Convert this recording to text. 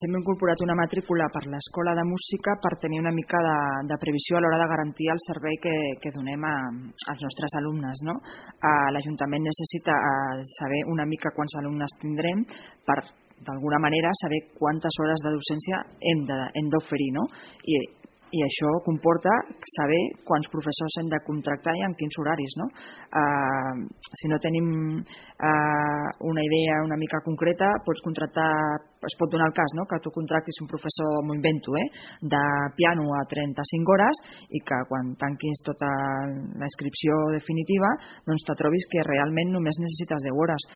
Hem incorporat una matrícula per l'Escola de Música per tenir una mica de previsió a l'hora de garantir el servei que donem als nostres alumnes, no? L'Ajuntament necessita saber una mica quants alumnes tindrem per, d'alguna manera, saber quantes hores de docència hem d'oferir, no? I això comporta saber quants professors hem de contractar i en quins horaris, no? Si no tenim una idea una mica concreta, es pot donar el cas, no? Que tu contractis un professor, m'ho invento, de piano a 35 hores i que quan tanquis tota la inscripció definitiva doncs te trobis que realment només necessites 10 hores.